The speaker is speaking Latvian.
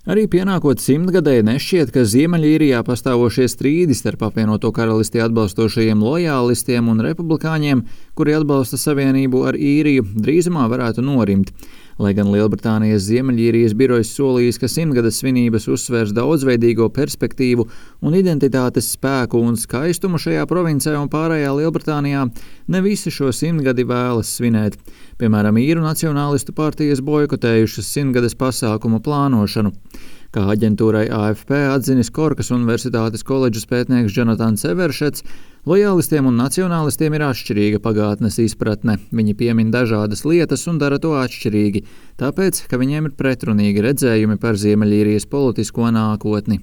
Arī pienākot simtgadēji nešķiet, ka Ziemeļīrijā pastāvošie strīdi starp apvienoto karalisti atbalstošajiem lojālistiem un republikāņiem, kuri atbalsta savienību ar Īriju, drīzumā varētu norimt. Lai gan Lielbritānijas Ziemeļīrijas birojs solījis, ka simtgades svinības uzsvērs daudzveidīgo perspektīvu un identitātes spēku un skaistumu šajā provincē un pārējā Lielbritānijā, ne visi šo simtgadi vēlas svinēt. Piemēram, īru nacionālistu partijas boikotējušas simtgades pasākumu plānošanu. Kā aģentūrai AFP atzinis Korkas Universitātes koledžas pētnieks Jonatans Everšets, lojālistiem un nacionālistiem ir atšķirīga pagātnes izpratne. Viņi piemin dažādas lietas un dara to atšķirīgi, tāpēc, ka viņiem ir pretrunīgi redzējumi par Ziemeļīrijas politisko nākotni.